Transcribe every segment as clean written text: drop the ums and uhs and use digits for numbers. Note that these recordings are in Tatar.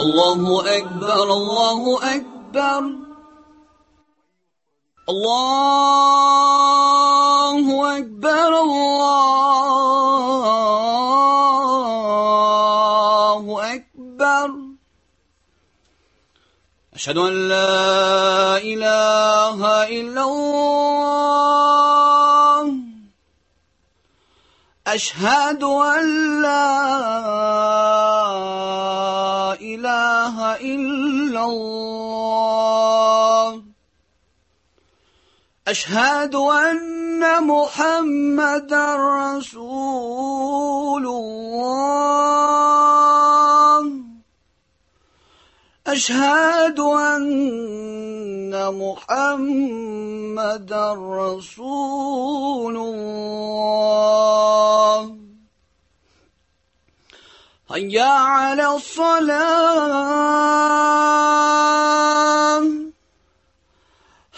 الله أكبر الله أكبر الله أكبر الله أكبر أشهد أن لا إله إلا الله أشهد أن لا إله إلا الله أشهد أن محمدا رسول الله أشهد أن محمدا رسول الله هيا على الصلاة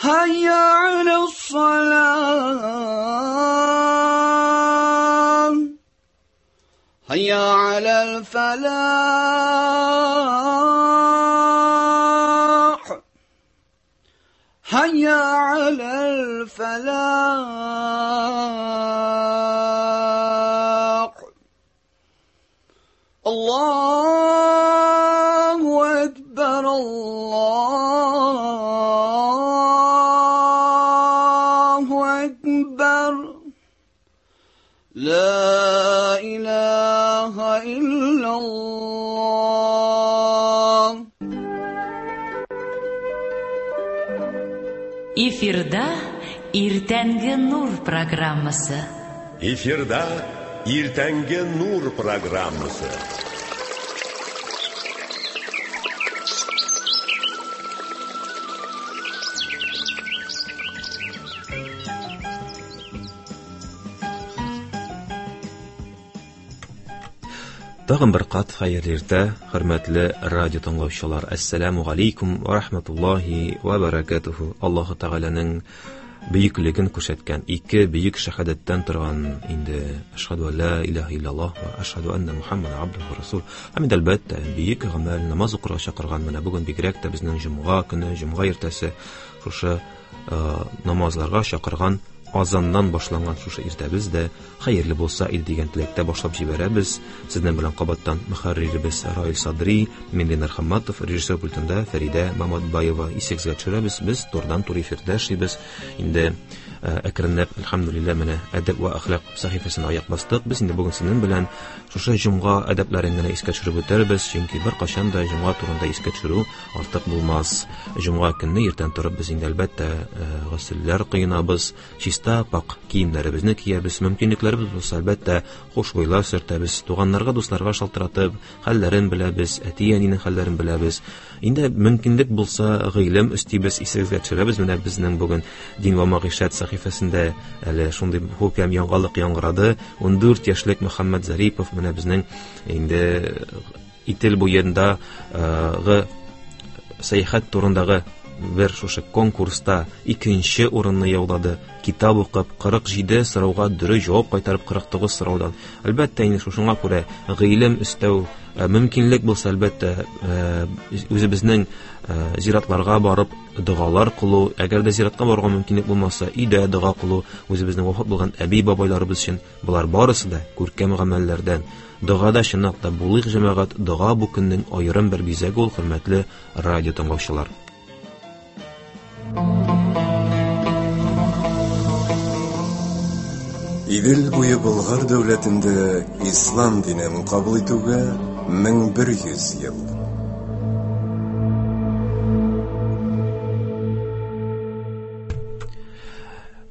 هيا على الصلاة هيا على الفلاح هيا على الفلاح الله أكبر الله أكبر لا إله إلا الله. Эфирда Иртәнге нур программасы. Эфирда Иртәнге нур программасы. Тагын бер кат хәерле иртә, хөрмәтле радио тыңлаучылар. Әссәламу алейкум ва рахматуллаһи ва баракатуху. Аллаһу Тәгаләнең бөеклеген күрсәткән ике бөек шәһадәттән торган инде әшһәду ан ла илаһа иллаллаһ ва әшһәду анна Мухаммадан абдуху ва расул. Һәм инде әлбәттә бөек гамәл намаз укырга чакырган менә бүген бигрәк тә безнең җомга көне, җомга иртәсе шушы намазларга чакырган азаннан башланган шушы иртәбез дә хәерле булса иде дигән теләктә башлап җибәрәбез. Сезнең белән кабаттан мөхәрриребез Раил Садри, мин Ленар Хамматов, режиссер пультында Фәридә Маматбаева. Исегезгә төшерәбез, без турыдан-туры эфирдә эшлибез. Инде әкренләп, әлхәмдүлилләһ, менә әдәп ва әхлак сәхифәсенә аяк бастык. Без инде бүген сезнең белән шушы җомга әдәпләрен генә искә төшереп үтәрбез, чөнки беркайчан да җомга турында искә төшерү артык булмас. Җомга көнне иртән торып без инде әлбәттә госелләр коенабыз, чиста пак киемнәребезне киябез, мөмкинлекләребез булса әлбәттә хушбуйлар сөртәбез, туганнарга, дусларга шалтыратып, хәлләрен беләбез, әти-әнинең хәлләрен беләбез. Инде мөмкинлек булса гыйлем өстибез, исегезгә төшерәбез. Менә безнең бүген Дин ва мәгыйшәт сәхифәсендә әле шундый күркәм яңалык яңгырады. 14 яшьлек Мөхәммәд Зарипов менә безнең инде Итил буендагы сәяхәт турындагы бер шушы конкурста икенче урынны яулады. Китап укып 47 сорауга дөрес җавап кайтарып 49 сораудан. Әлбәттә, инде шушыңа күрә гыйлем өстәү мөмкинлек булса, әлбәттә, үзебезнең зиратларга барып догалар кылу, әгәр дә зиратка барырга мөмкинлек булмаса, өйдә дога кылу, үзебезнең вафат булган әби-бабайларыбыз өчен болар барысы да күркәм гамәлләрдән. Догада чынлап та булыйк, җәмәгать, дога бу көннең аерым бер бизәге ул, хөрмәтле радио тыңлаучылар. Идел буе Болгар дәүләтендә ислам динен кабул итүгә 1100 ел.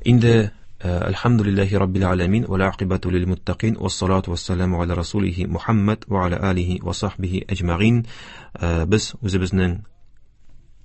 Инде Әлхәмдүлилләһи раббил аламин ва ла акибату лил муттакин ва салату ва саламу аля расулихи Мухаммад ва аля алихи ва сахбихи әҗмәгин. Без үзебезнең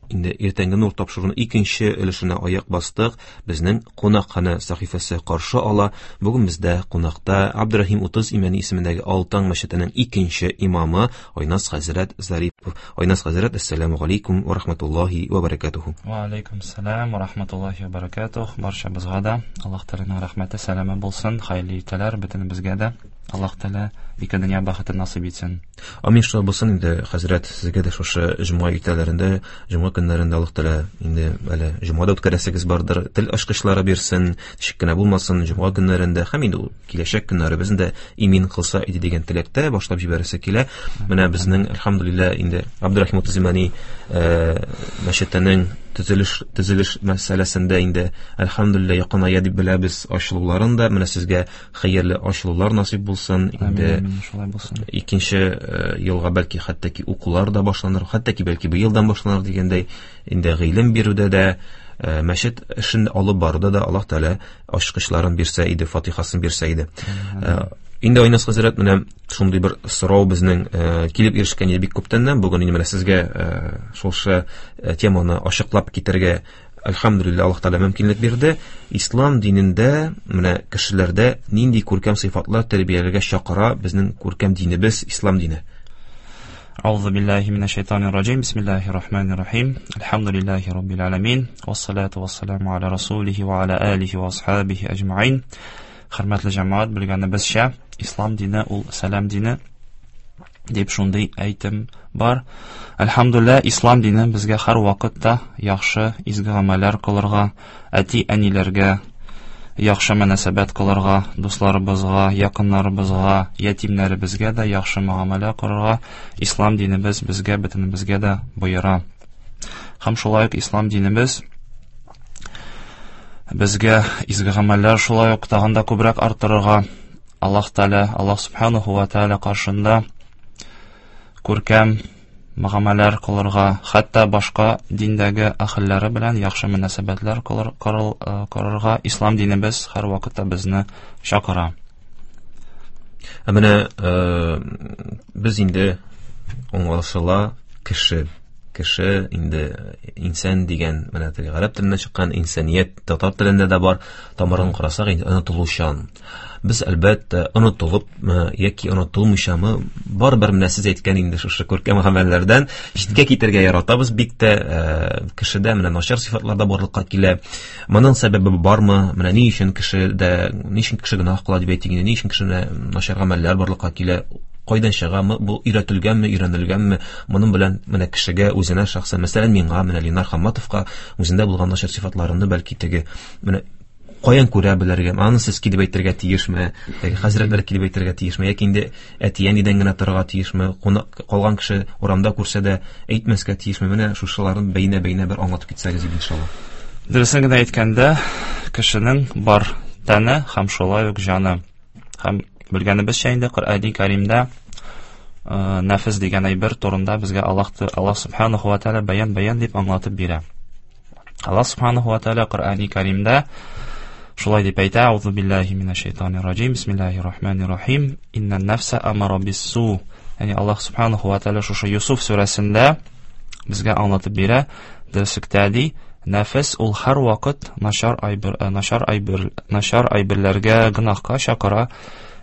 инде иртәнге нур тапшыруның икенче өлешенә аяк бастык. Безнең кунакхана сәхифәсе каршы ала. Бүген бездә кунакта Абдурахим 30 Имәни исемендәге Алтан мәчетенең икенче имамы Айназ хәзрәт Зарипов. Айназ хәзрәт, ассаламу алейкум ва рахматуллаһи ва баракатуху. Ва алейкум ассалам ва рахматуллаһи ва баракатух. Баршабызга да Аллаһ Тәгаләнең рәхмәте, сәламе булсын. Хәерле иртәләр бөтенебезгә дә. Аллаһ Тәгалә ике дөнья бәхетен насыйп итсен. Амин, шулай булсын инде, хәзрәт, сезгә дә шушы җомга иртәләрендә, җомга көннәрендә Аллаһ Тәгалә инде әле җомга да үткәрәсегез бардыр, тел ачкычлары бирсен, ничек кенә булмасын, җомга көннәрендә һәм инде ул киләчәк көннәребезне дә имин кылса иде дигән теләктә башлап җибәрәсе килә. Менә безнең, әлхәмдүлилләһ, инде Абдурахим Утызимани мәчетенең төзелеш мәсьәләсендә инде әлхәмдүлилләһ якыная дип беләбез ачылуларын да. Менә сезгә хәерле ачылулар насыйп булсын. Инде Амин, шулай булсын. Икенче елга бәлки хәтта ки укулар да башланыр, хәтта ки бәлки быелдан башланыр дигәндәй, инде гыйлем бирүдә дә, мәчет эшен алып баруда да Аллаһ Тәгалә ачкычларын бирсә иде, фатихасын бирсә иде. Инде Айназ хәзрәт, менә шундый бер сорау безнең килеп ирешкән иде бик күптәннән. Бүген инде менә сезгә шушы теманы ачыклап китәргә әлхәмдүлилләһ Аллаһ Тәгалә мөмкинлек бирде. Ислам динендә менә кешеләрдә нинди күркәм сыйфатлар тәрбияләргә чакыра безнең күркәм динебез, ислам дине? Аузу биллахи минәш шайтанир раҗим. Бисмиллахир рахманир рахим. Әлхәмдүлилләһи раббил аламин. Вассалату вассаламу аля расулихи ва аля алихи ва асхабихи аҗмаин. Хөрмәтле җәмәгать, белгәнебезчә, ислам дине ул сәлам дине дип шундый әйтем бар. Әлхәмдүлилләһ, ислам дине безгә һәр вакытта яхшы изге гамәлләр кылырга, әти-әниләргә яхшы мөнәсәбәт кылырга, дусларыбызга, якыннарыбызга, ятимнәребезгә дә яхшы мөгамәлә кылырга ислам динебез безгә, бөтенебезгә дә боера. Һәм шулай ук ислам динебез безгә изге гамәлләр шулай ук тагын да күбрәк арттырырга, Аллаһ Тәгалә, Аллаһ Субханаху ва Тәгалә каршында күркәм мөгамәләр кылырга, хәтта башка диндәге әһелләре белән яхшы мөнәсәбәтләр корырга ислам динебез һәр вакытта безне чакыра. Ә менә без инде аңлашыла кеше, кеше инде инсан дигән, менә теге гарәп теленнән чыккан инсаният татар телендә дә бар, тамырын карасак инде онытылучан. Без әлбәттә онытылыпмы яки онытылмыйчамы, барыбер менә сез әйткән инде шушы күркәм гамәлләрдән читкә китәргә яратабыз бик тә, кешедә менә начар сыйфатлар да барлыкка килә. Моның сәбәбе бармы? Менә ни өчен кешедә, ни өчен кеше гөнаһ кыла дип әйтик инде, ни өчен кешедә начар гамәлләр барлыкка килә? Кайдан чыгамы? Бу өйрәтелгәнме, өйрәнелгәнме? Моның белән менә кешегә үзенә шәхсән, мәсәлән, миңа, менә Ленар Хамматовка үзендә булган начар сыйфатларны бәлки теге менә каян күрә белергә? Аны сез килеп әйтергә тиешме? Теге хәзрәтләр килеп әйтергә тиешме? Яки инде әти-әнидән генә торырга тиешме? Кунак калган кеше урамда күрсә дә әйтмәскә тиешме? Менә шушыларын бәйнә-бәйнә бер аңлатып китсәгез иде, иншалла. Дөресен генә әйткәндә, кешенең бар тәне һәм шулай ук җаны. Һәм белгәнебезчә инде Коръәни Кәримдә нәфес дигән әйбер турында безгә Аллаһ Субханаху ва Тааля бәян-бәян дип аңлатып бирә. Аллаһ Субханаху ва Тааля Коръәни Кәримдә шулай дип әйтә: Аузу биллахи минәш шайтанир раҗим, бисмиллахир рахманир рахим, иннән нәфсә амара биссу. Ягъни Аллаһ Субханаху ва Тааля шушы Юсуф сүрәсендә безгә аңлатып бирә, дөреслектә ди, нәфес ул һәр вакыт начар әйберләргә, гөнаһка чакыра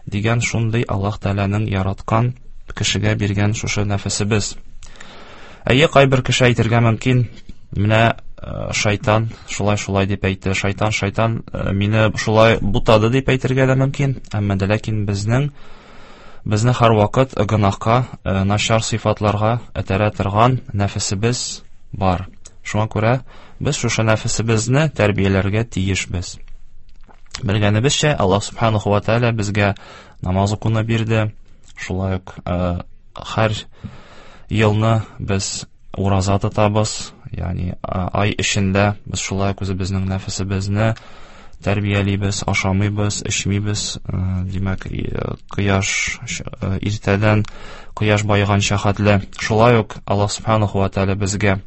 дигән шундый Аллаһ Тәгаләнең яраткан кешегә биргән шушы нәфесебез. Әйе, кайбер кеше әйтергә мөмкин, менә шайтан шулай-шулай дип әйтте, шайтан мине шулай бутады дип әйтергә дә мөмкин, әмма дә ләкин безне һәр вакыт гөнаһка, начар сыйфатларга этәрә торган нәфесебез бар. Шуңа күрә без шушы нәфесебезне тәрбияләргә тиешбез. Белгәнебезчә, Аллаһ Субханаху ва Тааля безгә намаз укуны бирде. Шулай ук һәр елны без ураза тотабыз, ягъни ай эчендә без шулай ук үзебезнең нәфесебезне тәрбиялибез, ашамыйбыз, эчмибез. Димәк, кояш, иртәдән кояш баеганча хәтле. Шулай ук Аллаһ Субханаху ва Тааля безгә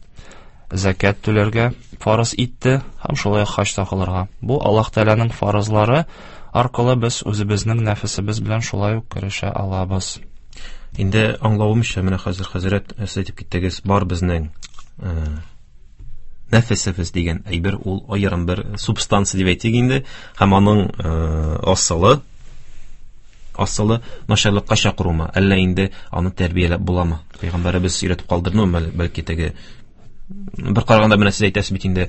зәкят түләргә фарыз итте һәм шулай ук хаҗ та кылырга. Бу Аллаһ Тәгаләнең фарызлары аркылы без үзебезнең нәфесебез белән шулай ук көрәшә алабыз. Инде аңлавымча, менә хәзер хәзрәт сез әйтеп киттегез, бар безнең нәфесебез дигән әйбер, ул аерым бер субстанция дип әйтик инде, һәм аның асылы начарлыкка чакырумы, әллә инде аны тәрбияләп буламы? Пәйгамбәребез өйрәтеп калдырдымы, бәлки теге Бер караганда менә сез әйтәсез бит инде,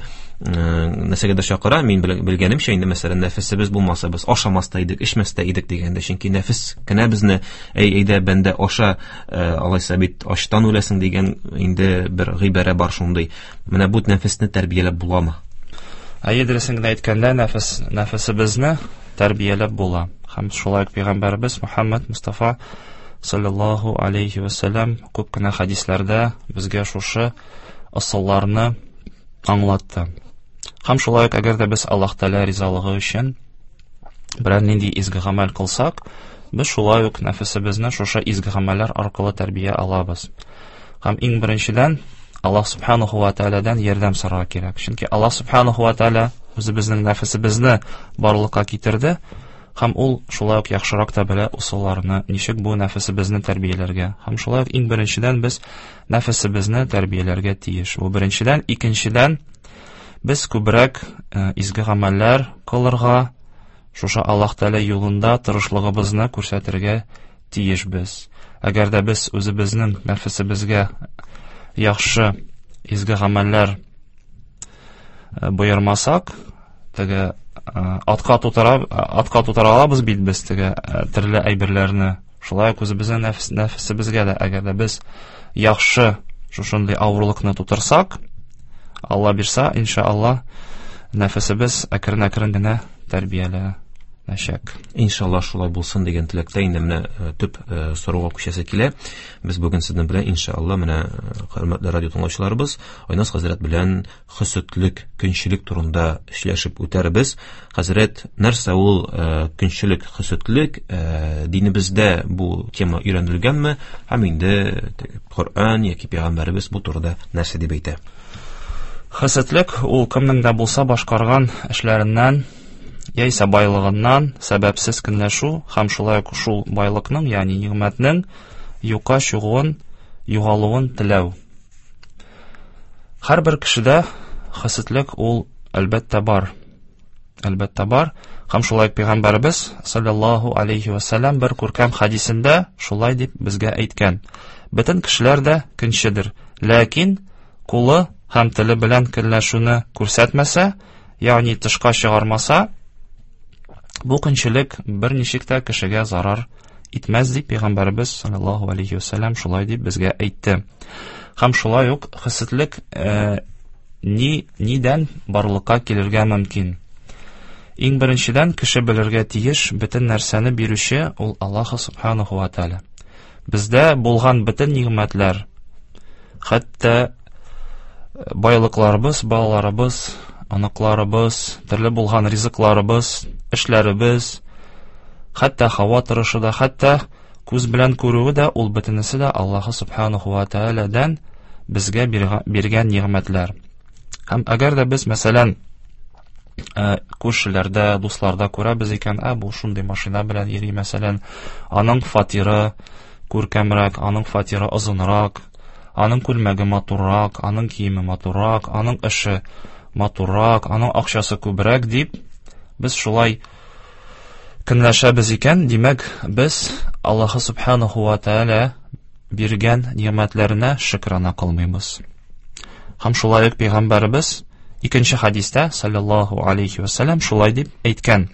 нәрсәгәдер чакыра, мин белгәнемчә инде, мәсәлән, нәфесебез булмаса, без ашамас та идек, эчмәс тә идек дигәндә, чөнки нәфес кенә безне, әй, әйдә, бәндә, аша, алайса бит ачтан үләсең дигән инде бер гыйбарә бар шундый. Менә бу нәфесне тәрбияләп буламы? Әйе, дөресен генә әйткәндә, нәфесебезне тәрбияләп була. Һәм шулай ук пәйгамбәребез Мухаммад Мустафа саллаллаһу алейхи ва саллям күп кенә хәдисләрдә безгә шушы ысулларны аңлатты. Һәм шулай ук, әгәр дә без Аллаһ Тәгалә ризалыгы өчен берәр нинди изге гамәл кылсак, без шулай ук нәфесебезне шушы изге гамәлләр аркылы тәрбия алабыз. Һәм иң беренчедән Аллаһ субханаху ва тәгаләдән ярдәм сорарга кирәк. Чөнки Аллаһ субханаху ва тәгалә үзебезнең нәфесебезне барлыкка китерде, һәм ул шулай ук яхшырак та белә ысулларны, ничек бу нәфесебезне тәрбияләргә. Һәм шулай ук иң беренчедән без нәфесебезне тәрбияләргә тиеш. Бу беренчедән, икенчедән без күбрәк изге гамәлләр кылырга, шушы Аллаһ Тәгалә юлында тырышлыгыбызны күрсәтергә тиешбез. Әгәр дә без үзебезнең нәфесебезгә яхшы изге гамәлләр боермасак, теге атка тутыра алабыз бит без теге төрле әйберләрне. Шулай ук үзебезнең нәфесебезгә дә, әгәр дә без яхшы шушындый авырлыкны тутырсак, Алла бирса, иншалла, нәфесебез әкрен-әкрен генә тәрбияләнәчәк. Иншалла шулай булсын дигән теләктә инде менә төп сорауга күчәсе килә. Без бүген сезнең белән иншалла менә хөрмәтле радио тыңлаучыларыбыз Айназ хәзрәт белән хөсетлек, көнчелек турында сөйләшеп үтәрбез. Хәзрәт, нәрсә ул көнчелек, хөсетлек? Динебездә бу тема өйрәнелгәнме? Һәм инде Коръән яки пәйгамбәребез бу турыда нәрсә дип әйтә? Хөсетлек ул кемнең дә булса башкарган эшләреннән яисә байлыгыннан сәбәпсез көнләшү һәм шулай ук шул байлыкның, ягъни нигъмәтнең юкка чыгуын, югалуын теләү. Һәрбер кешедә хөсетлек ул әлбәттә бар. Әлбәттә бар. Һәм шулай ук пәйгамбәребез саллаллаһу алейхи ва саллям бер күркәм хәдисендә шулай дип безгә әйткән. Бөтен кешеләр дә көнчедер, ләкин кулы һәм теле белән көнләшүне күрсәтмәсә, ягъни тышка чыгармаса, бу көнчелек берничек тә кешегә зарар итмәс дип пәйгамбәребез саллаллаһу алейхи ва саллям шулай дип безгә әйтте. Һәм шулай ук хөсетлек нидән барлыкка килергә мөмкин? Иң беренчедән кеше белергә тиеш, бөтен нәрсәне бирүче ул Аллаһ субханаху ва тааля. Бездә булган бөтен нигъмәтләр, хәтта байлыкларыбыз, балаларыбыз, оныкларыбыз, төрле булган ризыкларыбыз, эшләребез, хәтта һава торышы да, хәтта күз белән күрүе дә, ул бөтенесе дә Аллаһ субханаху ва таалядан безгә биргән нигъмәтләр. Һәм әгәр дә без, мәсәлән, күршеләрдә, дусларда күрәбез икән, бу шундый машина белән йөри, мәсәлән, аның фатиры күркәмрәк, аның фатиры озынрак, аның күлмәге матуррак, аның киеме матуррак, аның эше матуррак, аның акчасы күбрәк дип, без шулай көнләшәбез икән, димәк, без Аллаһ субханаху ва тааля биргән нигъмәтләренә шөкрана кылмыйбыз. Һәм шулай ук пәйгамбәребез икенче хәдистә саллаллаһу алейхи ва саллям шулай дип әйткән: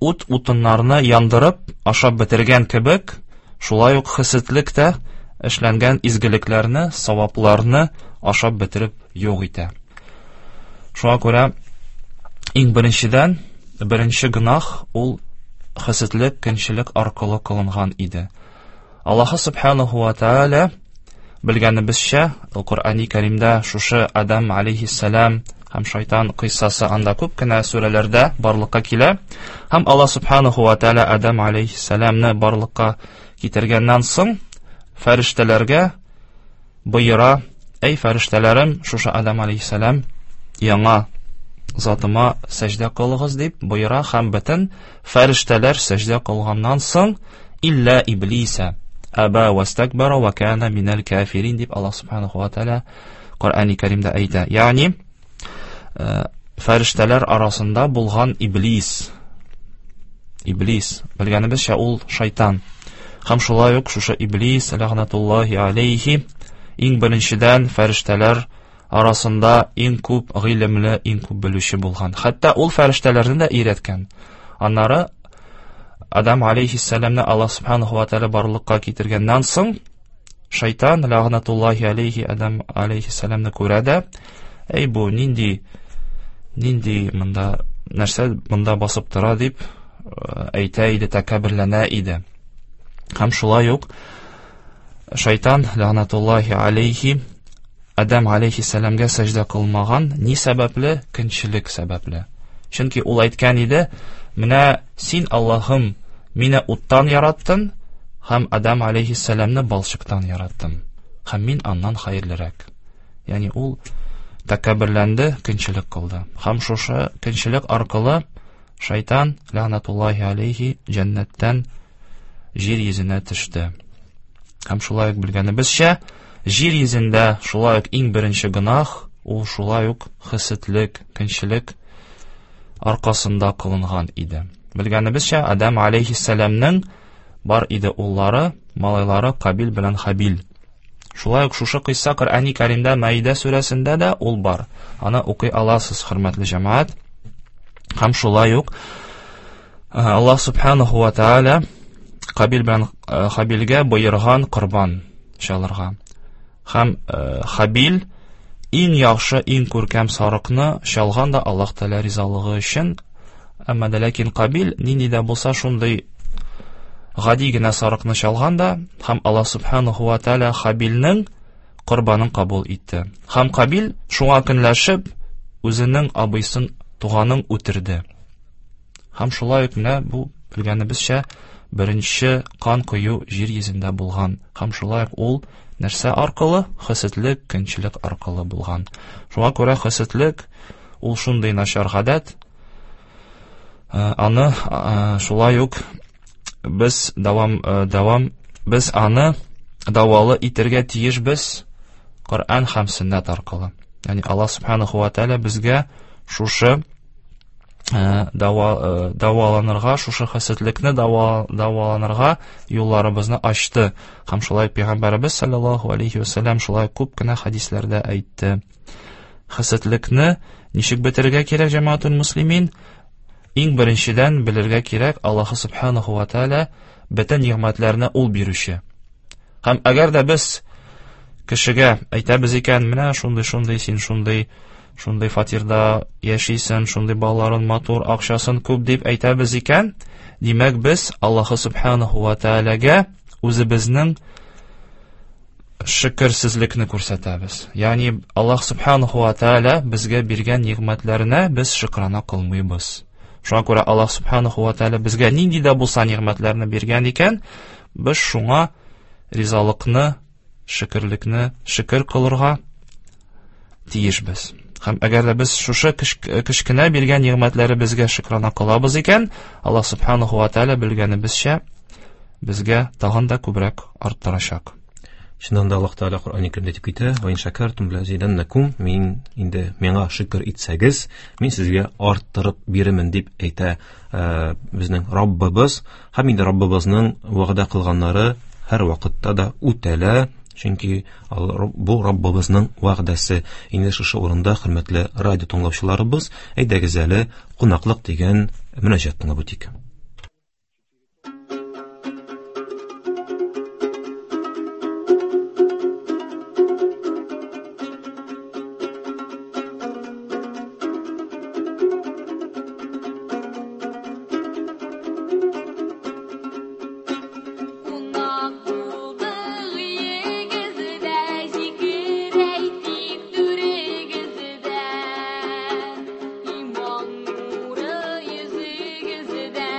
Ут утыннарны яндырып ашап бетергән кебек, шулай ук хөсетлек тә эшләнгән изгелекләрне, савапларны ашап бетереп юк итә. Шуңа күрә иң беренчедән, беренче гөнаһ ул хөсетлек, көнчелек аркылы кылынган иде. Аллаһ субханаху ва тааля белгәнебезчә, Коръәни Кәримдә шушы Адам алейхиссалам һәм шайтан кыйссасы анда күп кенә сүрәләрдә барлыкка килә. Һәм Аллаһ субханаху ва тааля Адам алейхиссаламны барлыкка китергәннән соң фәрештәләргә боера: "Әй фәрештәләрем, шушы Адам алейхиссалам яңа затыма сәҗдә кылыгыз" дип боера һәм бөтен фәрештәләр сәҗдә кылганнан соң илля иблиса аба вастакбара ва кана минал кафирин дип Аллаһ субханаху ва тааля Коръәни Кәримдә әйтә. Ягъни фәрештәләр арасында булган иблис. Иблис, белгәнебезчә, ул шайтан. Һәм шулай ук шушы иблис ләгънатуллаһи алейхи иң беренчедән фәрештәләр арасында иң күп гыйлемле, иң күп белүче булган. Хәтта ул фәрештәләрне дә өйрәткән. Аннары Адам алейхиссәламны Аллаһ субханаху ва тааля барлыкка китергәннән соң, шайтан ләгънатуллаһи алейхи Адам алейхиссәламны күрә дә, әй бу нинди нинди монда нәрсә монда басып тора дип әйтә иде, тәкәбберләнә иде. Һәм шулай ук шайтан ләгънатуллаһи алейхи Адам алейхиссәламгә сәҗдә кылмаган, ни сәбәпле? Көнчелек сәбәпле. Чөнки ул әйткән иде, менә син Аллаһым мине уттан яраттың һәм Адам алейхиссәламны балчыктан яраттың. Һәм мин аннан хәерлерәк. Ягъни ул тәкәбберләнде, көнчелек кылды. Һәм шушы көнчелек аркылы шайтан ләгънатуллаһи алейхи җәннәттән җир йөзенә төште. Һәм шулай ук белгәнебезчә, җир йөзендә шулай ук иң беренче гөнаһ ул шулай ук хәсетлек, көнчелек аркасында кылынган иде. Белгәнебезчә, Адам алейхиссәламның бар иде уллары, малайлары Кабил белән Хабил. Шулай ук шушы кыйсса Коръәни Кәримдә Маида сүрәсендә дә ул бар. Аны укый аласыз, хөрмәтле җәмәгать. Һәм шулай ук Аллаһ субханаху ва тааля Кабил белән Хабилгә боерган корбан чалырга. Һәм Хабил иң яхшы, иң күркәм сарыкны чалган да Аллаһ Тәгалә ризалыгы өчен. Әмма дә ләкин Кабил нинди дә булса шундый гади генә сарыкны чалган да, һәм Аллаһ субханаху ва тааля Хабилнең корбанын кабул итте. Һәм Кабил шуңа көнләшеп үзенең абыйсын, туганын үтерде. Һәм шулай ук менә бу белгәнебезчә беренче кан кою җир йөзендә булган. Һәм шулай ук ул нәрсә аркылы? Хәсетлек, көнчелек аркылы булган. Шуңа күрә хәсетлек ул шундый начар гадәт. Аны шулай ук без дәвам дәвам без аны дәвалы итәргә тиешбез Коръән һәм сөннәт аркылы. Ягъни Аллаһ субханаху ва тааля безгә шушы дәваланырга, шушы хәсәтлекне дәваланырга юлларыбызны ачты. Һәм шулай пәйгамбәребез саллаллаһу алейхи ва саллям шулай күп кенә хәдисләрдә әйтте. Хәсәтлекне ничек бетерергә кирәк, җәмәгатул муслимин? Иң беренчедән белергә кирәк, Аллаһ субханаху ва тааля бөтен нигъмәтләрне ул бирүче. Һәм әгәр дә без кешегә әйтәбез икән, менә шундый-шундый, син шундый, шундый фатирда яшисең, шундый балаларын матур, акчасын күп дип әйтәбез икән, димәк без Аллаһ субханаху ва тааляга үзебезнең шөкерсезлекне күрсәтәбез. Ягъни Аллаһ субханаху ва тааля безгә биргән нигъмәтләренә без шөкрана кылмыйбыз. Шуңа күрә Аллаһ субханаху ва тааля безгә нинди дә булса нигъмәтләрне биргән икән, без шуңа ризалыкны, шөкерлекне шөкер кылырга тиешбез. Һәм әгәр дә без шушы кечкенә биргән нигъмәтләребезгә шөкрана кылабыз икән, Аллаһ субханаху ва тааля белгәнебезчә безгә тагын да күбрәк арттырачак. Чыннан да Аллаһ Тәгалә Коръән Кәримдә әйтеп китә: "Ва ин шакартум лазиданнакум", мин инде миңа шөкер итсәгез, мин сезгә арттырып бирермен дип әйтә безнең Раббыбыз. Һәм инде Раббыбызның вәгъдә кылганнары һәр вакытта да үтәлә, чөнки бу Раббыбызның вәгъдәсе. Инде шушы урында, хөрмәтле радио тыңлаучыларыбыз, әйдәгез әле кунаклык дигән мөнәҗәт тыңлап үтик. Кунак булдык өегездә, зикер әйтик түрегездә. Иман нуры йөзегездә,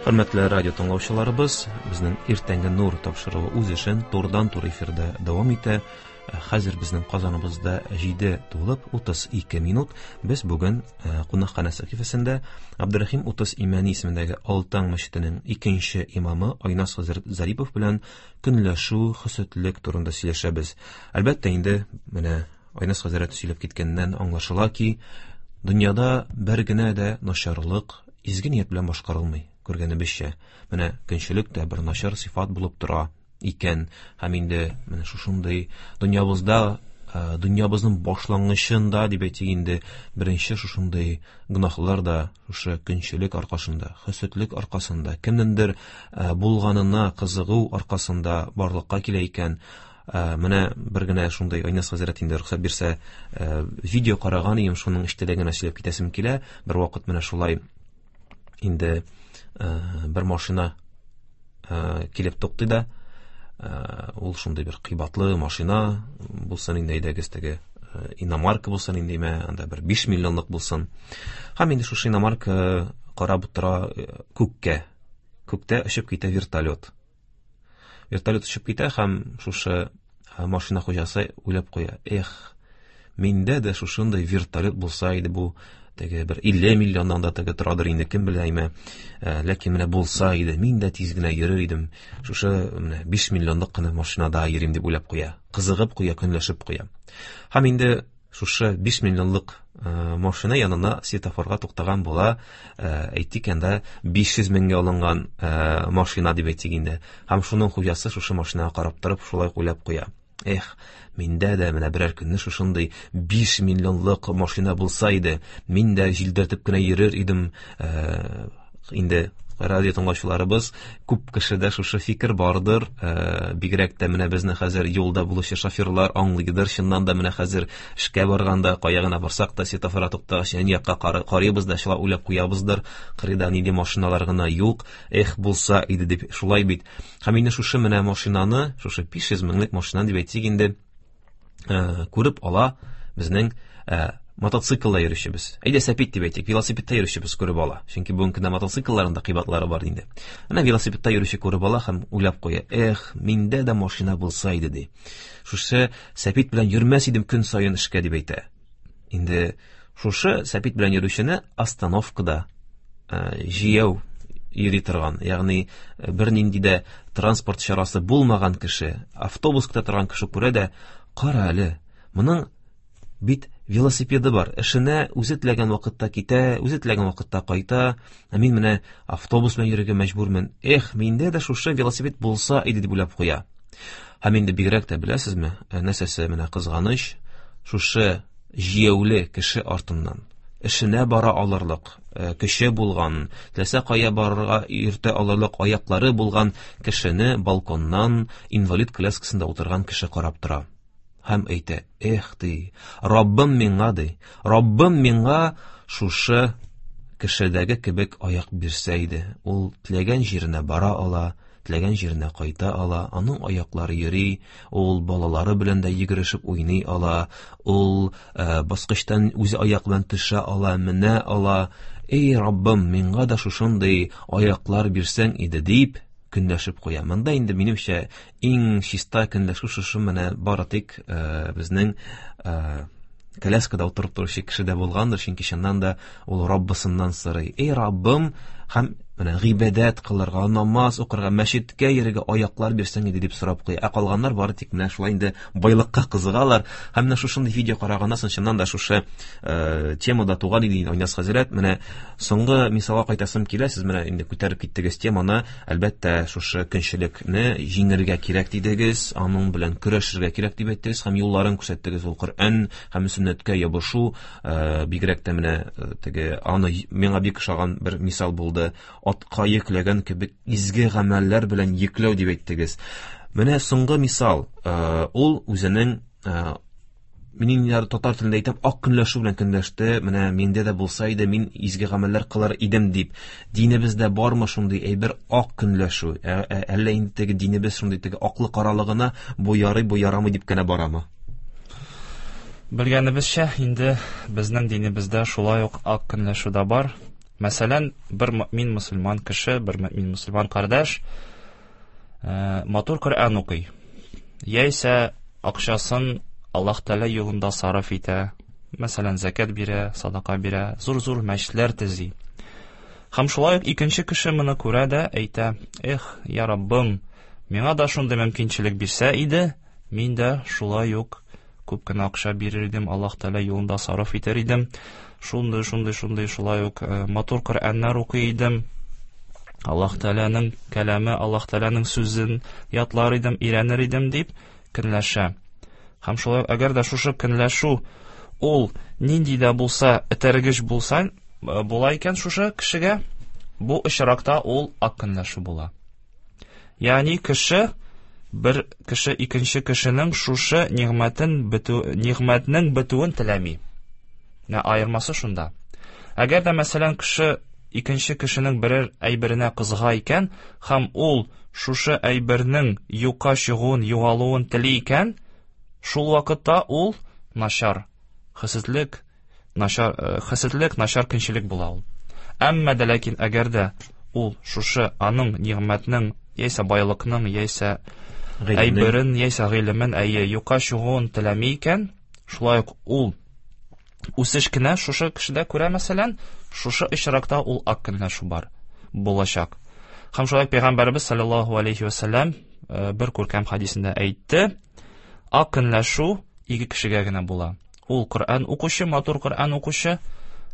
Хөрмәтле радио тыңлаучыларыбыз, безнең Иртәнге нур тапшыруы үз эшен турыдан-туры эфирда дәвам итә. Хәзер безнең Казаныбызда 7 тулып 32 минут. Без бүген кунакханә сәхифәсендә Абдурахим 30 Имәни исемендәге Алтан мәчетенең икенче имамы Айназ хәзрәт Зарипов белән көнләшү, хөсетлек турында сөйләшәбез. Әлбәттә инде, менә Айназ хәзрәт сөйләп киткәннән аңлашыла ки, дөньяда бер генә дә начарлык изге ният белән башкарылмый. Күргәнебезчә, менә көнчелек тә бер начар сыйфат булып тора икән. Һәм инде менә шушындый дөньябызда, дөньябызның башлангычында дип әйтик инде, беренче шушындый гөнаһлар да шушы көнчелек аркасында, хөсетлек аркасында, кемнеңдер булганына кызыгу аркасында барлыкка килә икән. Менә бер генә шундый Айназ хәзрәт инде рөхсәт бирсә, видео караган идем, шуның эчтәлеген генә сөйләп китәсем килә. Бер вакыт менә шулай инде бер машина килеп туктый да, ул шундый бер кыйбатлы машина булсын инде, әйдәгез теге иномарка булсын инде, мә, анда бер 5 миллионлык булсын. Һәм инде шушы иномарка карап утыра күккә. Күктә очып китә вертолет. Вертолет очып китә һәм шушы машина хуҗасы уйлап куя: "Эх, миндә дә шушындый вертолет булса иде, бу теге бер 50 миллионнан да теге торадыр инде, кем белә име. Ләкин менә булса иде, мин дә тиз генә йөрер идем. Шушы менә 5 миллионлык кына машинада йөрим", дип уйлап куя. Кызыгып куя, көнләшеп куя. Һәм инде шушы 5 миллионлык машина янына светофорга туктаган була, әйтик анда 500 меңгә алынган машина дип әйтик инде. Һәм шуның хуҗасы шушы машинага карап торып шулай уйлап куя: Эх, миндә дә менә берәр көнне шушындый 5 миллионлык машина булса иде, мин дә җилдертеп кенә йөрер идем. Инде радио тыңлаучыларыбыз, күп кешедә шушы фикер бардыр. Бигрәк тә менә безне хәзер юлда булучы шоферлар аңлыйдыр. Чыннан да менә хәзер эшкә барганда, кая гына барсак та, светофорга туктагач, әни якка карыйбыз да, шулай уйлап куябыздыр. Кырыйда нинди машиналар гына юк, эх, булса иде дип, шулай бит. Һәм инде шушы менә машинаны, шушы 500 меңлек машинаны дип әйтик инде, күреп ала безнең мотоциклда йөрүчебез. Әйдә, сәпит дип әйтик, велосипедта йөрүчебез күреп ала. Чөнки бүгенге көндә мотоциклларның да кыйбатлары бар инде. Менә велосипедта йөрүче күреп ала һәм уйлап куя: Эх, миндә дә машина булса иде, ди. Шушы сәпит белән йөрмәс идем көн саен эшкә, дип әйтә. Инде шушы сәпит белән йөрүчене остановкада җияү йөри торган, ягъни бернинди дә транспорт чарасы булмаган кеше, автобус көтә торган кеше күрә дә: Кара әле, моның бит велосипеды бар, эшенә үзе теләгән вакытта китә, үзе теләгән вакытта кайта, ә мин менә автобус белән йөрергә мәҗбүрмен. Эх, миндә дә шушы велосипед булса иде, дип уйлап куя. Һәм инде бигрәк тә беләсезме, нәрсәсе менә кызганыч, шушы җияүле кеше артыннан эшенә бара алырлык көче булган, теләсә кая барырга йөртә алырлык аяклары булган кешене балконнан инвалид коляскасында утырган кеше карап тора. Һәм әйтә: Эх, ди, Раббым миңа, ди, Раббым миңа шушы кешедәге кебек аяк бирсә иде. Ул теләгән җиренә бара ала, теләгән җиренә кайта ала, аның аяклары йөри, ул балалары белән дә йөгерешеп уйный ала, ул баскычтан үзе аяк белән төшә ала, менә ала. Эй, Раббым, миңа да шушындый аяклар бирсәң иде, дип көнләшеп куя. Монда инде минемчә иң чиста көнләшү шушы менә бары тик безнең коляскада утырып торучы кешедә булгандыр, чөнки чыннан да ул Раббысыннан сорый: Эй, Раббым, һәм менә гыйбадәт кылырга, намаз укырга, мәчеткә йөрергә аяклар бирсәң иде, дип сорап куя. Ә калганнар бары тик менә шулай инде байлыкка кызыгалар. Һәм менә шушындый видео караганнан соң чыннан да шушы темада туган иде Айназ хәзрәт. Менә соңгы мисалга кайтасым килә, сез менә инде күтәреп киттегез теманы. Әлбәттә, шушы көнчелекне җиңергә кирәк дидегез, аның белән көрәшергә кирәк дип әйттегез һәм юлларын күрсәттегез. Ул Коръән һәм сөннәткә ябышу, бигрәк тә менә теге аны миңа бик ошаган бер мисал булды. Атка йөкләгән кебек изге гамәлләр белән йөкләү дип әйттегез. Менә соңгы мисал, ул үзенең, мин инде татар телендә әйтәм, ак көнләшү белән көнләште. Менә миндә дә булса иде, мин изге гамәлләр кылар идем дип. Динебездә бармы шундый әйбер, ак көнләшү? Әллә инде теге динебез шундый теге аклы каралыгына бу ярый, бу ярамый дип кенә барамы? Белгәнебезчә, инде безнең динебездә шулай ук ак көнләшү дә бар. Мәсәлән, бер мөмин мөселман кеше, бер мөмин мөселман кардәш матур Коръән укый. Яисә акчасын Аллаһ Тәгалә юлында сарыф итә. Мәсәлән, зәкят бирә, садака бирә, зур-зур мәчетләр төзи. Һәм шулай ук икенче кеше моны күрә дә әйтә: "Эх, я Раббым, миңа да шундый мөмкинчелек бирсә иде, мин дә шулай ук күп кенә акча бирер идем, Аллаһ Тәгалә юлында сарыф итәр идем. Шундый, шундый, шундый шулай ук матур Коръәннәр укый идем. Аллаһ Тәгаләнең кәламе, Аллаһ Тәгаләнең сүзен ятлар идем, өйрәнер идем дип көнләшә. Һәм шулай әгәр дә шушы көнләшү ул нинди дә булса этәргеч булса, була икән шушы кешегә, бу очракта ул ак көнләшү була. Ягъни кеше бер кеше икенче кешенең шушы нигъмәтен бетү, нигъмәтнең бетүен теләми. Менә аермасы шунда. Әгәр дә мәсәлән кеше икенче кешенең берәр әйберенә кызыга икән һәм ул шушы әйбернең юкка чыгуын, югалуын тели икән, шул вакытта ул начар хәсетлек, начар хәсетлек, начар көнчелек була ул. Әмма дә ләкин әгәр дә ул шушы аның нигъмәтнең яисә байлыкның, яисә әйберен, яисә гыйлемен, әйе, юкка чыгуын теләми икән, шулай ук ул үсеш кенә шушы кешедә күрә, мәсәлән, шушы очракта ул ак көнләшү бар булачак. Һәм шулай пәйгамбәребез саллаллаһу алейхи ва сәлләм бер күркәм хадисендә әйтте, ак көнләшү ике кешегә генә була. Ул Коръән укучы, матур Коръән укучы,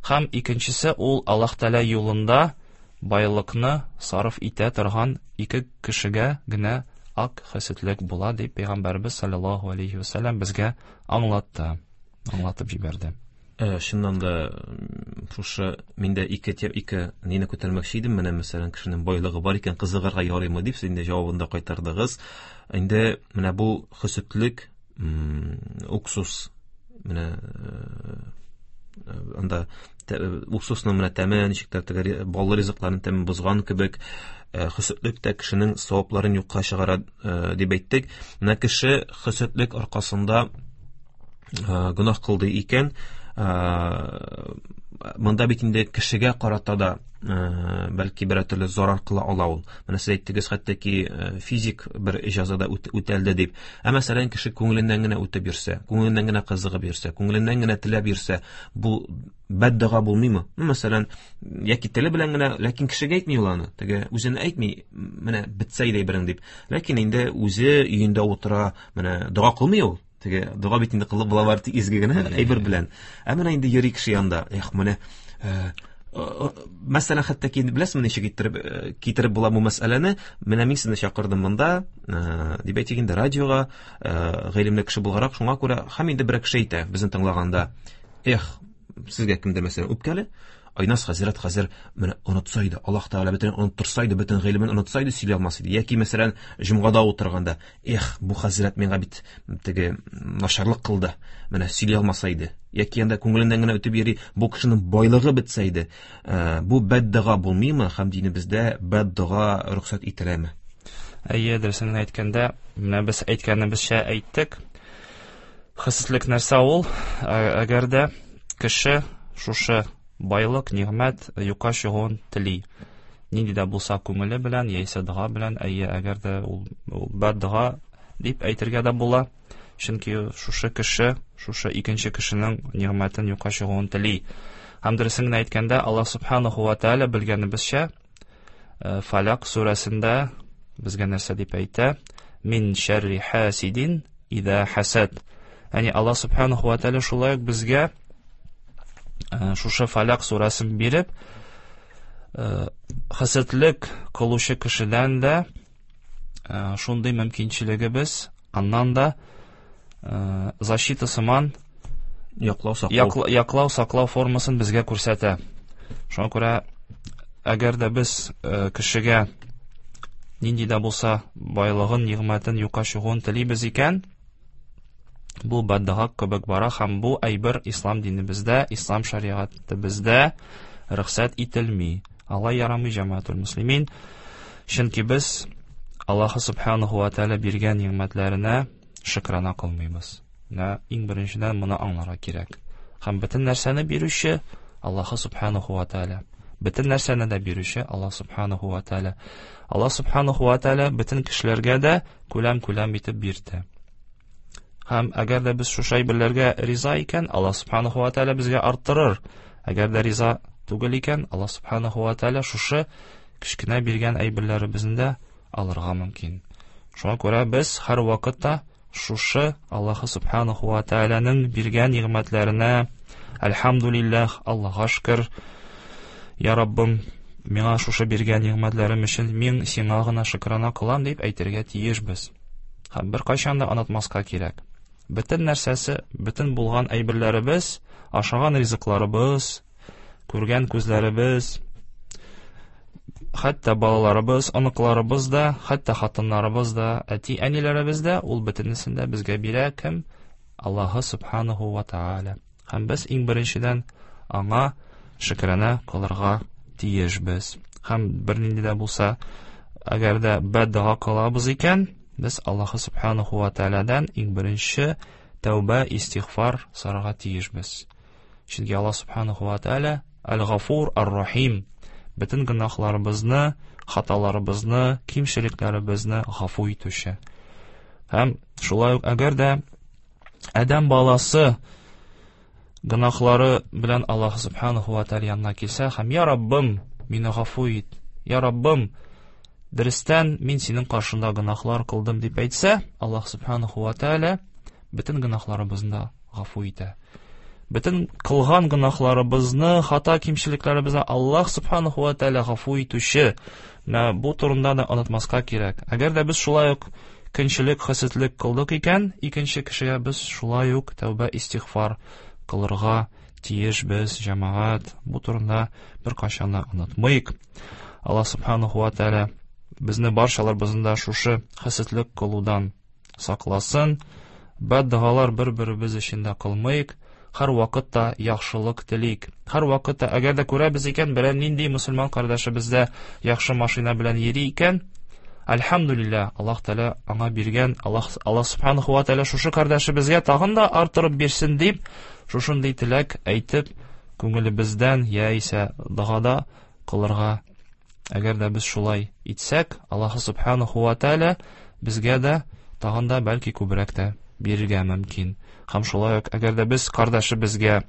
һәм икенчесе ул Аллаһ Тәгалә юлында байлыкны сарыф итә торган ике кешегә генә ак хәсетлек була дип пәйгамбәребез саллаллаһу алейхи ва сәлләм безгә аңлатты, аңлатып җибәрде. Чыннан да шушы миндә ике ике нине күтәрмәкче идем. Менә мәсәлән, кешенең байлыгы бар икән, кызыгырга ярыймы дип, сез инде җавабын да кайтардыгыз. Инде менә бу хөсетлек, уксус, менә анда уксусның менә тәме ничек тә теге баллы ризыкларның тәмен бозган кебек, хөсетлек тә кешенең савапларын юкка чыгара дип әйттек. Менә кеше хөсетлек аркасында гөнаһ кылды икән, монда бит инде кешегә карата да бәлки берәр төрле зарар кыла ала ул. Менә сез әйттегез, хәтта ки физик бер җәза да үтәлде дип. Ә мәсәлән, кеше күңеленнән генә үтеп йөрсә, күңеленнән генә кызыгып йөрсә, күңеленнән генә теләп йөрсә, бу бәддога булмыймы? Мәсәлән, яки теле белән генә, ләкин кешегә әйтми ул аны. Теге үзенә әйтми, менә бетсә иде әйберең дип. Ләкин инде үзе өендә утыра, менә дога кылмый ул. Теге дога бит инде кылып була бары тик изге генә әйбер белән. Ә менә инде йөри кеше янында. Эх, менә мәсәлән, хәтта ки беләсезме ничек иттереп китереп була бу мәсьәләне? Менә мин сезне чакырдым монда, дип әйтик инде радиога, гыйлемле кеше буларак, шуңа күрә һәм инде бер кеше әйтә безне тыңлаганда, эх, сезгә кемдер мәсәлән үпкәле, Айназ хәзрәт хәзер менә онытса иде, Аллаһ Тәгалә бөтен оныттырса иде, бөтен гыйлемен онытса иде, сөйли алмас иде. Яки мәсәлән, җомгада утырганда, эх, бу хәзрәт миңа бит теге начарлык кылды, менә сөйли алмаса иде. Яки анда күңеленнән генә үтеп йөри, бу кешенең байлыгы бетсә иде. Бу бәддога булмыймы һәм динебездә бәддога рөхсәт ителәме? Әйе, дөресен генә әйткәндә, менә без әйткәнебезчә әйттек. Хәсетлек нәрсә ул? Әгәр дә кеше шушы байлык, нигъмәт юкка чыгуын тели. Нинди дә булса күңеле белән, яисә дога белән, әйе, әгәр дә ул, ул бәддога дип әйтергә дә була. Чөнки шушы кеше, шушы икенче кешенең нигъмәтен юкка чыгуын тели. Һәм дөресен генә әйткәндә, Аллаһ субханаху ва тааля белгәнебезчә, Фаляк сүрәсендә безгә нәрсә дип әйтә? Мин шәрри хасидин ида хасад. Ягъни Аллаһ субханаху ва тааля шулай ук безгә шушы Фаляк сүрәсен биреп, хәсәтлек кылучы кешедән дә шундый мөмкинчелегебез, аннан да защита сыман яклау саклау яклау саклау формасын безгә күрсәтә. Шуңа күрә әгәр дә без кешегә нинди дә булса байлыгын, нигъмәтен юкка чыгуын телибез икән, бу бәддага кебек бара һәм бу әйбер ислам динебездә, ислам шәригатебездә рөхсәт ителми. Алай ярамый, җәмәгатул муслимин. Чөнки без Аллаһы субханаху ва тааля биргән нигъмәтләренә шөкрана кылмыйбыз. Менә иң беренчедән моны аңларга кирәк. Һәм бөтен нәрсәне бирүче Аллаһы субханаху ва тааля. Бөтен нәрсәне дә бирүче Аллаһ субханаху ва тааля. Аллаһ субханаху ва тааля бөтен кешеләргә дә күләм-күләм итеп бирде. Һәм әгәр дә без шушы әйберләргә риза икән, Аллаһ субханаху ва тааля безгә арттырыр. Әгәр дә риза түгел икән, Аллаһ субханаху ва тааля шушы кечкенә биргән әйберләребезне дә алырга мөмкин. Шуңа күрә без һәр вакытта шушы Аллаһ субханаху ва тааляның биргән нигъмәтләренә әлхәмдулиллаһ, Аллаһка шөкер, Я Раббым, миңа шушы биргән нигъмәтләрем өчен мин сиңа гына шөкрана кылам дип әйтергә тиешбез. Һәм беркайчан да онытмаска кирәк. Бөтен нәрсәсе, бөтен булган әйберләребез, ашаган ризыкларыбыз, күргән күзләребез, хәтта балаларыбыз, оныкларыбыз да, хәтта хатыннарыбыз да, әти-әниләребез дә, ул бөтенесен дә безгә бирә кем? Аллаһы субханаху ва тааля. Һәм без иң беренчедән аңа шөкрана кылырга тиешбез. Һәм бернинди дә булса, әгәр дә бәддога кылабыз икән, без Аллаһы субханаху ва таалядан иң беренче тәүбә, истигъфар сорарга тиешбез. Чөнки Аллаһ субханаху ва тааля Аль-Гафур Ар-Рахим. Бөтен гөнаһларыбызны, хаталарыбызны, кимчелекләребезне гафу итүче. Һәм шулай ук әгәр дә адәм баласы гөнаһлары белән Аллаһ субханаху ва тааля янына килсә һәм я Раббым, мине гафу ит. Я Раббым, дөрестән мин синең каршында гөнаһлар кылдым дип әйтсә, Аллаһ субханаху ва тааля бөтен гөнаһларыбызны да гафу итә. Бөтен кылган гөнаһларыбызны, хата кимчелекләребезне Аллаһ субханаху ва тааля гафу итүче. Менә бу турында да онытмаска кирәк. Әгәр дә без шулай ук көнчелек, хәсетлек кылдык икән, икенче кешегә без шулай ук тәүбә, истигъфар кылырга тиешбез, җәмәгать. Бу турында беркайчан да онытмыйк. Аллаһ субханаху ва тааля безне барчаларыбызны да шушы хәсетлек кылудан сакласын. Бәддогалар бер-беребез өчен дә кылмыйк. Һәр вакытта яхшылык телик. Һәр вакытта, әгәр дә күрәбез икән, берәр нинди мөселман кардәшебездә яхшы машина белән йөри икән, әлхәмдулилла, Аллаһ Тәгалә аңа биргән, Аллаһ Аллаһ субханаху ва тәгалә шушы кардәшебезгә тагын да арттырып бирсен дип, шушындый теләк әйтеп, күңелебездән яисә догада кылырга. Әгәр дә без шулай итсәк, Аллаһ субханаху ва тәгалә безгә дә тагын да бәлки күбрәк тә бирергә мөмкин. Һәм шулай ук, әгәр дә без кардәшебезгә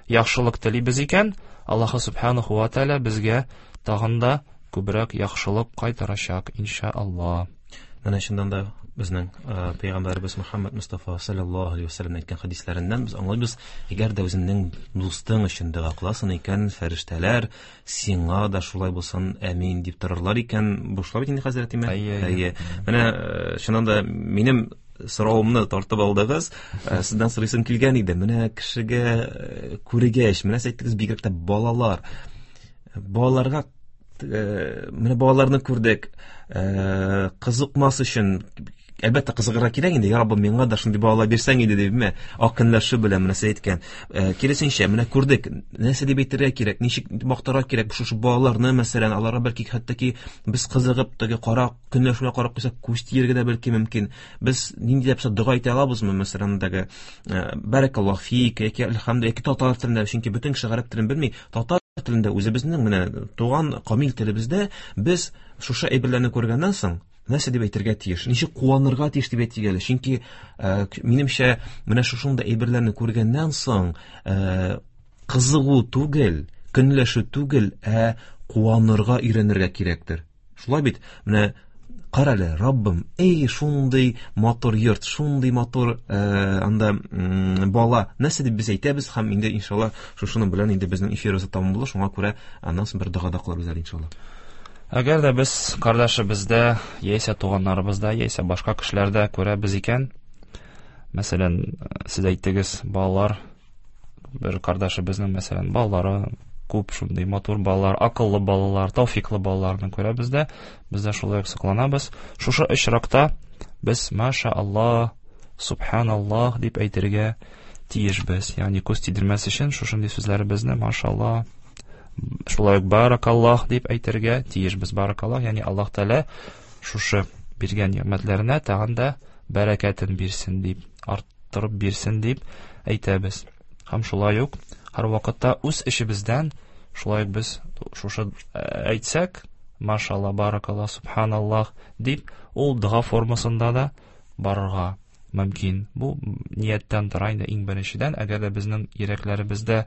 яхшылык телибез икән, Аллаһ субханаху ва тәгалә безгә тагын да күбрәк яхшылык кайтарачак, иншааллаһ. Менә чыннан да безнең пәйгамбәребез Мөхәммәд Мустафа саллаллаһу алейһи вәсәлләм әйткән хәдисләреннән без аңлыйбыз, әгәр дә үзеңнең дустың өчен дога кыласың икән, фәрештәләр сиңа да шулай булсын, әмин дип торырлар икән. Бу шулай бит инде, хәзрәт, димә? Әйе. Менә чыннан да минем соравымны тартып алдыгыз. Сездән сорыйсым килгән иде. Менә кешегә күргәч, менә сез әйттегез, бигрәк тә балалар. Балаларга менә балаларны күрдек. Кызыкмас өчен әлбәттә кызыгырга кирәк инде. Я Раббым, миңа да шундый балалар бирсәң иде дипме? Ак көнләшү белән менә сез әйткән. Киресенчә, менә күрдек. Нәрсә дип әйтергә кирәк, ничек мактарга кирәк шушы балаларны, мәсәлән, аларга бәлки хәтта ки без кызыгып теге кара көнләшүгә карап куйсак, күз тиергә дә бәлки мөмкин. Без нинди дә булса дога әйтә алабызмы, мәсәлән, теге бәрәкаллаһ фик яки әлхәмдүлилләһ, яки татар телендә, чөнки бөтен кеше гарәп телен белми, татар телендә үзебезнең менә туган камил телебездә без шушы әйберләрне күргәннән соң нәрсә дип әйтергә тиеш, ничек куанырга тиеш дип әйтик әле, чөнки минемчә менә шушындый әйберләрне күргәннән соң кызыгу түгел, көнләшү түгел, ә куанырга өйрәнергә кирәктер. Шулай бит, менә кара әле, Раббым, эй, шундый матур йорт, шундый матур анда бала. Нәрсә дип без әйтәбез һәм инде иншалла шушының белән инде безнең эфирыбыз тәмам була, шуңа күрә аннан соң бер дога да кылабыз әле иншалла. Әгәр дә без кардәшебездә, яисә туганнарыбызда, яисә башка кешеләрдә күрәбез икән, мәсәлән, сез әйттегез, балалар, бер кардәшебезнең, мәсәлән, балалары күп, шундый матур балалар, акыллы балалар, тауфиклы балаларны күрәбез дә, без дә шулай ук сокланабыз. Шушы очракта без маша Аллаһ, субханаллаһ дип әйтергә тиешбез. Ягъни күз тидермәс өчен шушындый сүзләребезне маша Аллаһ, шулай ук баракаллаһ дип әйтергә тиешбез. Баракаллаһ, ягъни Аллаһ Тәгалә шушы биргән нигъмәтләренә тагын да бәрәкәтен бирсен дип, арттырып бирсен дип әйтәбез. Һәм шулай ук һәр вакытта үз эшебездән Шулай ук без шушы әйтсәк, машалла, баракалла, субханаллах дип, ул дога формасында да барырга мөмкин. Бу нияттән тора инде иң беренчедән, әгәр дә безнең йөрәкләребездә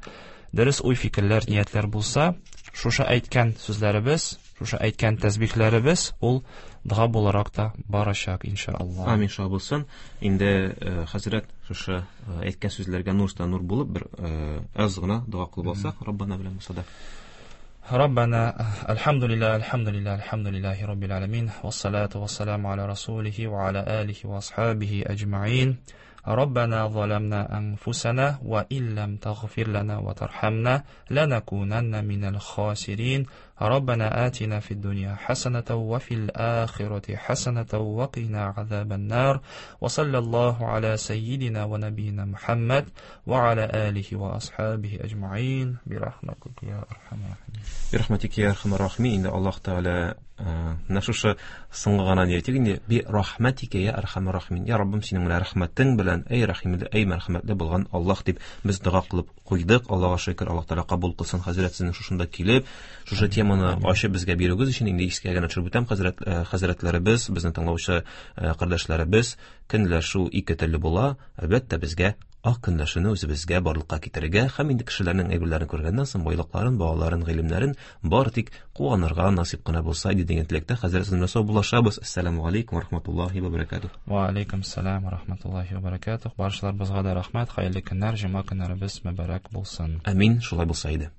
дөрес уй-фикерләр, ниятләр булса, шушы әйткән сүзләребез, шушы әйткән тәсбихләребез ул дога буларак та барачак, иншалла. Амин, шулай булсын. Инде хәзрәт шушы әйткән сүзләргә нур өстенә нур булып бер аз гына дога кылып алсак, Раббана белән булса да. ربنا الحمد لله الحمد لله الحمد لله رب العالمين والصلاة والسلام على رسوله وعلى آله وأصحابه أجمعين ربنا ظلمنا أنفسنا وإن لم تغفر لنا وترحمنا لنكونن من الخاسرين ربنا آتنا في الدنيا حسنة وفي الآخرة حسنة وقنا عذاب النار وصلى الله على سيدنا ونبينا محمد وعلى آله وأصحابه أجمعين برحمتك يا أرحم الراحمين. برحمتك يا أرحم الراحمين. Инде Аллаһ Тәгалә менә шушы соңгы гына ни әйтик инде, би рахматика я архамар рахимин. Я Раббым, синең менә рәхмәтең белән, эй рәхимле, эй мәрхәмәтле булган Аллаһ дип без дога кылып куйдык. Аллаһка шөкер, Аллаһ Тәгалә кабул кылсын. Хәзрәт, сезнең шушында килеп, шушы теманы ачып безгә бирүегез өчен инде искә генә төшереп үтәм, хәзрәтләребез, безне тыңлаучы кардәшләребез, көнләшү ике төрле була. Әлбәттә, безгә ак көнләшүне үзебезгә барлыкка китерергә һәм инде кешеләрнең әйберләрен күргәннән соң байлыкларын, балаларын, гыйлемнәрен бары тик куанырга насыйп кына булса иде дигән теләктә хәзрәт сезнең белән саубуллашабыз. Ассаламу алейкум ва рахматуллахи ва баракатух. Ва алейкум ассалам ва рахматуллахи ва баракатух. Баршаларыбызга да рәхмәт, хәерле көннәр, җомга көннәребез мөбарәк булсын. Амин, шулай булса иде.